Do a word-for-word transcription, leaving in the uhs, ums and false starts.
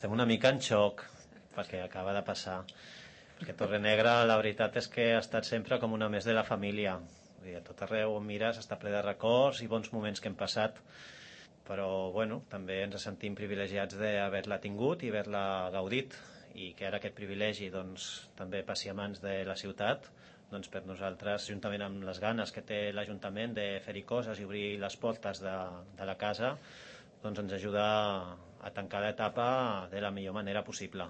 Estem una mica en xoc perquè acaba de passar, perquè Torrenegra la veritat és que ha estat sempre com una més de la família. Vull dir, a tot arreu on mires està ple de records i bons moments que hem passat, però bueno, també ens sentim privilegiats d'haver-la tingut i haver-la gaudit, i que ara aquest privilegi doncs, també passi a mans de la ciutat, doncs per nosaltres, juntament amb les ganes que té l'Ajuntament de fer-hi coses i obrir les portes de, de la casa, doncs ens ajuda a tancar l'etapa de la millor manera possible.